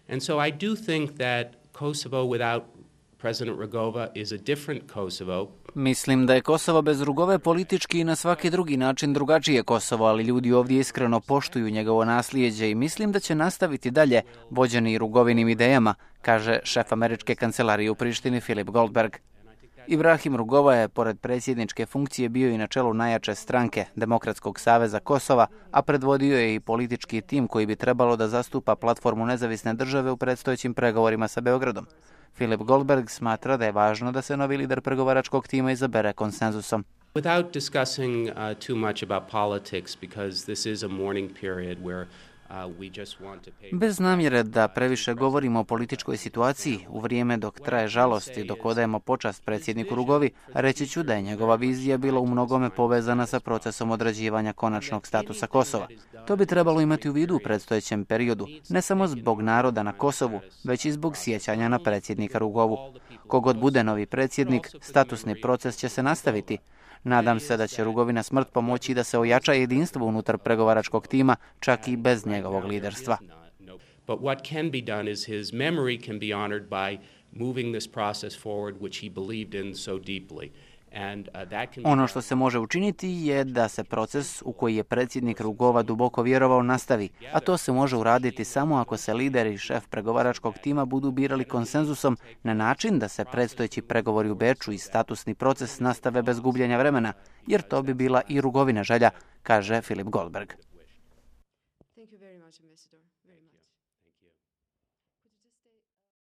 And so I do think that Kosovo without President Rugova is a different Kosovo. Mislim da je Kosovo bez Rugove politički i na svaki drugi način drugačije Kosovo, ali ljudi ovdje iskreno poštuju njegovo naslijeđe i mislim da će nastaviti dalje vođeni Rugovinim idejama, kaže šef američke kancelarije u Prištini Filip Goldberg. Ibrahim Rugova je, pored predsjedničke funkcije, bio i na čelu najjače stranke Demokratskog saveza Kosova, a predvodio je i politički tim koji bi trebalo da zastupa platformu nezavisne države u predstojećim pregovorima sa Beogradom. Filip Goldberg smatra da je važno da se novi lider pregovaračkog tima izabere konsenzusom. Without discussing too much about politics, because this is a mourning period where we just want to pay... Bez namjere da previše govorimo o političkoj situaciji, u vrijeme dok traje žalost i dok odajemo počast predsjedniku Rugovi, reći ću da je njegova vizija bila u mnogome povezana sa procesom određivanja konačnog statusa Kosova. To bi trebalo imati u vidu u predstojećem periodu, ne samo zbog naroda na Kosovu, već i zbog sjećanja na predsjednika Rugovu. Kogod bude novi predsjednik, statusni proces će se nastaviti. Nadam se da će Rugovina smrt pomoći da se ojača jedinstvo unutar pregovaračkog tima, čak i bez njegovog liderstva. But what can be done is his memory can be honored by moving this process forward which he believed in so deeply. Ono što se može učiniti je da se proces u koji je predsjednik Rugova duboko vjerovao nastavi, a to se može uraditi samo ako se lider i šef pregovaračkog tima budu birali konsenzusom na način da se predstojeći pregovori u Beču i statusni proces nastave bez gubljenja vremena, jer to bi bila i Rugovina želja, kaže Filip Goldberg. Thank you very much, Ambassador.